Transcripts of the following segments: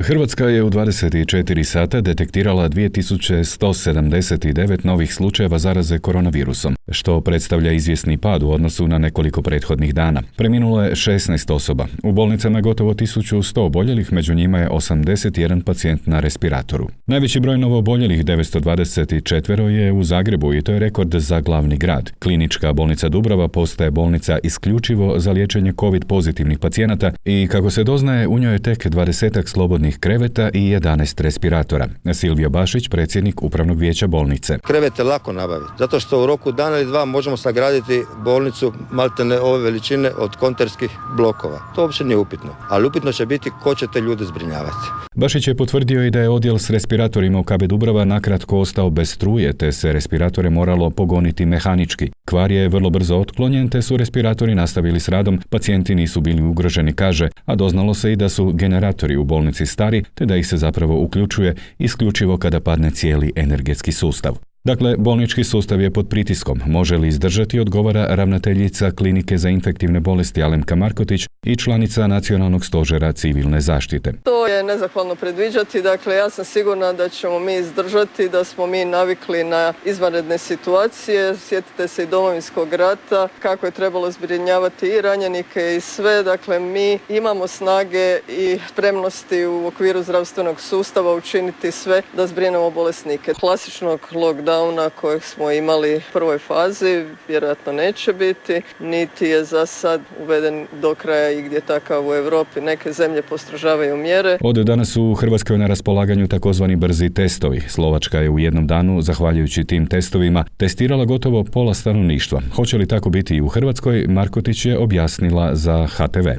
Hrvatska je u 24 sata detektirala 2179 novih slučajeva zaraze koronavirusom, što predstavlja izvjesni pad u odnosu na nekoliko prethodnih dana. Preminulo je 16 osoba. U bolnicama je gotovo 1100 oboljelih, među njima je 81 pacijent na respiratoru. Najveći broj novooboljelih, 924, je u Zagrebu i to je rekord za glavni grad. Klinička bolnica Dubrava postaje bolnica isključivo za liječenje COVID pozitivnih pacijenata i kako se doznaje, u njoj je tek 20 slobodnih kreveta i 11 respiratora. Silvio Bašić, predsjednik Upravnog vijeća bolnice. Krevete lako nabaviti, zato što u roku dana ili dva možemo sagraditi bolnicu maltene ove veličine od konterskih blokova. To uopće nije upitno, ali upitno će biti ko će te ljude zbrinjavati. Bašić je potvrdio i da je odjel s respiratorima u KB Dubrava nakratko ostao bez struje, te se respiratore moralo pogoniti mehanički. Kvar je vrlo brzo otklonjen, te su respiratori nastavili s radom, pacijenti nisu bili ugroženi, kaže, a doznalo se i da su generatori u bolnici stari, te da ih se zapravo uključuje isključivo kada padne cijeli energetski sustav. Dakle, bolnički sustav je pod pritiskom. Može li izdržati, odgovara ravnateljica Klinike za infektivne bolesti Alemka Markotić i članica Nacionalnog stožera civilne zaštite. To je nezahvalno predviđati, dakle ja sam sigurna da ćemo mi izdržati, da smo mi navikli na izvanredne situacije. Sjetite se i Domovinskog rata, kako je trebalo zbrinjavati i ranjenike i sve. Dakle, mi imamo snage i spremnosti u okviru zdravstvenog sustava učiniti sve da zbrinemo bolesnike. Klasičnog lockdowna kojeg smo imali u prvoj fazi vjerojatno neće biti, niti je za sad uveden do kraja i gdje takav u Europi. Neke zemlje postrožavaju mjere. Od danas su u Hrvatskoj na raspolaganju takozvani brzi testovi. Slovačka je u jednom danu, zahvaljujući tim testovima, testirala gotovo pola stanovništva. Hoće li tako biti i u Hrvatskoj, Markotić je objasnila za HTV.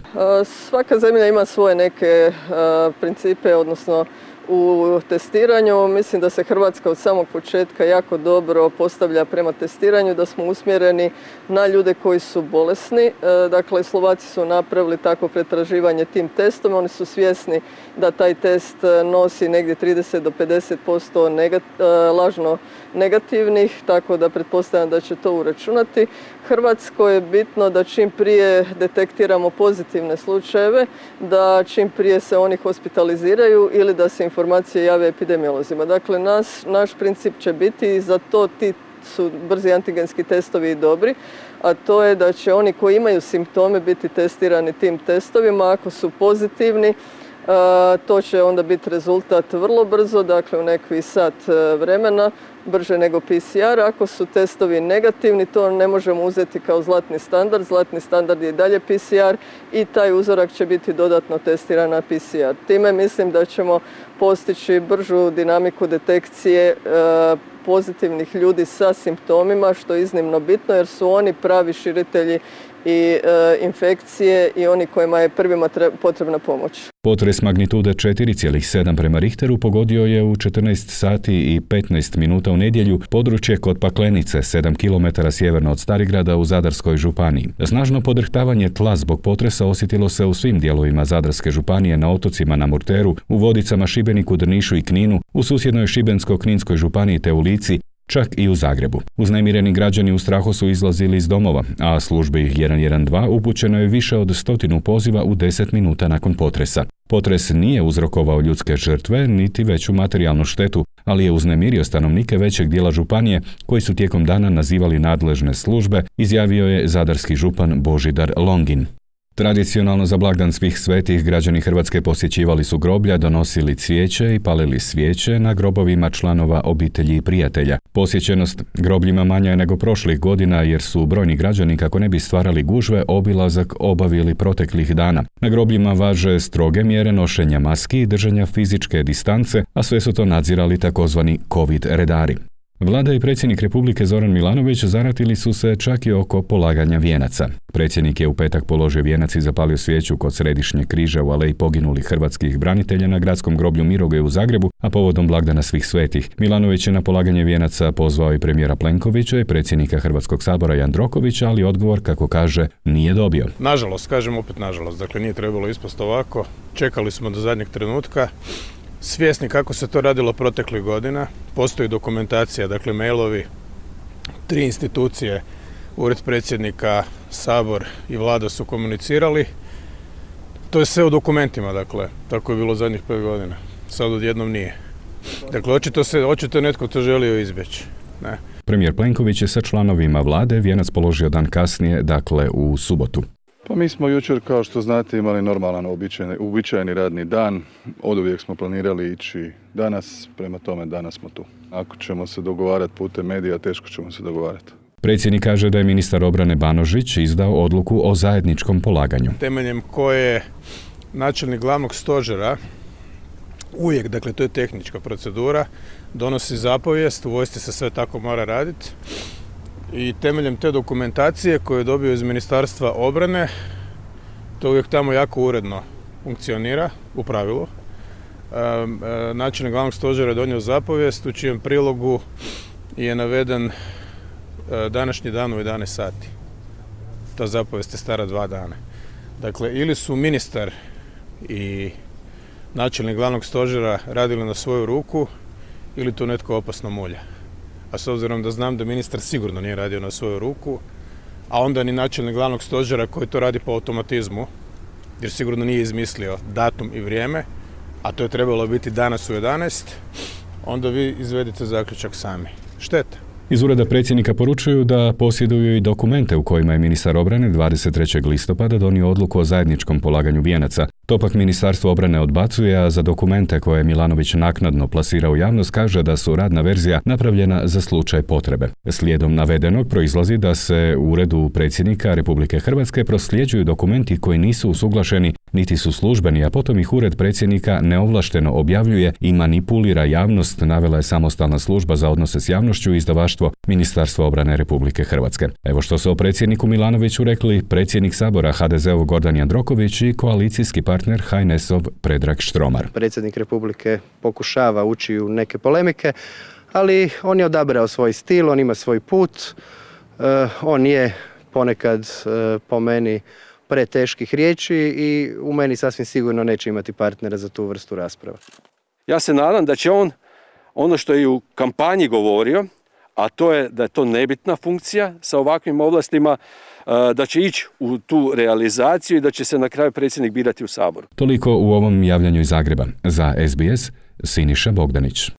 Svaka zemlja ima svoje neke principe, odnosno u testiranju. Mislim da se Hrvatska od samog početka jako dobro postavlja prema testiranju, da smo usmjereni na ljude koji su bolesni. Dakle, Slovaci su napravili takvo pretraživanje tim testom. Oni su svjesni da taj test nosi negdje 30 do 50% lažno negativnih, tako da pretpostavljam da će to uračunati. Hrvatskoj je bitno da čim prije detektiramo pozitivne slučajeve, da čim prije se oni hospitaliziraju ili da se informacije jave epidemiolozima. Dakle, naš princip će biti i za to ti su brzi antigenski testovi i dobri, a to je da će oni koji imaju simptome biti testirani tim testovima. Ako su pozitivni, to će onda biti rezultat vrlo brzo, dakle u nekih sat vremena, brže nego PCR. Ako su testovi negativni, to ne možemo uzeti kao zlatni standard. Zlatni standard je i dalje PCR i taj uzorak će biti dodatno testiran na PCR. Time mislim da ćemo postići bržu dinamiku detekcije pozitivnih ljudi sa simptomima, što je iznimno bitno jer su oni pravi širitelji i infekcije i oni kojima je prvima potrebna pomoć. Potres magnitude 4,7 prema Richteru pogodio je u 14 sati i 15 minuta u nedjelju područje kod Paklenice, 7 km sjeverno od Starigrada u Zadarskoj županiji. Snažno podrhtavanje tla zbog potresa osjetilo se u svim dijelovima Zadarske županije, na otocima na Murteru, u Vodicama, Šibeniku, Drnišu i Kninu, u susjednoj Šibensko-kninskoj županiji te u Lici, čak i u Zagrebu. Uznemireni građani u strahu su izlazili iz domova, a službi 112 upućeno je više od 100 poziva u 10 minuta nakon potresa. Potres nije uzrokovao ljudske žrtve niti veću materijalnu štetu, ali je uznemirio stanovnike većeg dijela županije koji su tijekom dana nazivali nadležne službe, izjavio je zadarski župan Božidar Longin. Tradicionalno za blagdan svih svetih građani Hrvatske posjećivali su groblja, donosili cvijeće i palili svijeće na grobovima članova obitelji i prijatelja. Posjećenost grobljima manja je nego prošlih godina jer su brojni građani, kako ne bi stvarali gužve, obilazak obavili proteklih dana. Na grobljima važe stroge mjere nošenja maski i držanja fizičke distance, a sve su to nadzirali takozvani COVID redari. Vlada i predsjednik Republike Zoran Milanović zaratili su se čak i oko polaganja vijenaca. Predsjednik je u petak položio vijenac i zapalio svijeću kod Središnjeg križa u aleji poginulih hrvatskih branitelja na gradskom groblju Mirogoj u Zagrebu, a povodom blagdana svih svetih. Milanović je na polaganje vijenaca pozvao i premijera Plenkovića i predsjednika Hrvatskog sabora Jandrokovića, ali odgovor, kako kaže, nije dobio. Nažalost, kažem opet nažalost, dakle nije trebalo ispast ovako. Čekali smo do zadnjeg trenutka. Svjesni kako se to radilo proteklih godina, postoji dokumentacija, dakle mailovi, 3 institucije, Ured predsjednika, Sabor i Vlada su komunicirali. To je sve u dokumentima, dakle, tako je bilo zadnjih 5 godina. Sad odjednom nije. Dakle, očito netko to želio izbjeći. Ne. Premijer Plenković je sa članovima vlade vijenac položio dan kasnije, dakle u subotu. Pa mi smo jučer, kao što znate, imali normalan uobičajeni radni dan. Oduvijek smo planirali ići danas, prema tome danas smo tu. Ako ćemo se dogovarati putem medija, teško ćemo se dogovarati. Predsjednik kaže da je ministar obrane Banožić izdao odluku o zajedničkom polaganju. Temeljem koje načelnik glavnog stožera uvijek, dakle to je tehnička procedura, donosi zapovijest, u vojsci se sve tako mora raditi. I temeljem te dokumentacije koju je dobio iz Ministarstva obrane, to uvijek tamo jako uredno funkcionira, u pravilu. Načelnik glavnog stožera je donio zapovijest u čijem prilogu je naveden današnji dan u 11 sati. Ta zapovijest je stara 2 dana. Dakle, ili su ministar i načelnik glavnog stožera radili na svoju ruku, ili to netko opasno mulja. A s obzirom da znam da ministar sigurno nije radio na svoju ruku, a onda ni načelnik glavnog stožera koji to radi po automatizmu, jer sigurno nije izmislio datum i vrijeme, a to je trebalo biti danas u 11, onda vi izvedite zaključak sami. Šteta. Iz ureda predsjednika poručuju da posjeduju i dokumente u kojima je ministar obrane 23. listopada donio odluku o zajedničkom polaganju vijenaca. To pak Ministarstvo obrane odbacuje, a za dokumente koje je Milanović naknadno plasirao u javnost kaže da su radna verzija napravljena za slučaj potrebe. Slijedom navedenog proizlazi da se u uredu predsjednika Republike Hrvatske prosljeđuju dokumenti koji nisu usuglašeni niti su službeni, a potom ih ured predsjednika neovlašteno objavljuje i manipulira javnost, navela je samostalna služba za odnose s javnošću i izdavaštvo Ministarstva obrane Republike Hrvatske. Evo što su o predsjedniku Milanoviću rekli predsjednik Sabora HDZ-ov Gordan Jandroković i koalicijski partner HNS-ov Predrag Štromar. Predsjednik Republike pokušava ući u neke polemike, ali on je odabrao svoj stil, on ima svoj put, on je ponekad po meni preteških riječi i u meni sasvim sigurno neće imati partnera za tu vrstu rasprava. Ja se nadam da će on, ono što je u kampanji govorio, a to je da je to nebitna funkcija sa ovakvim ovlastima, da će ići u tu realizaciju i da će se na kraju predsjednik birati u Saboru. Toliko u ovom javljanju iz Zagreba. Za SBS, Siniša Bogdanić.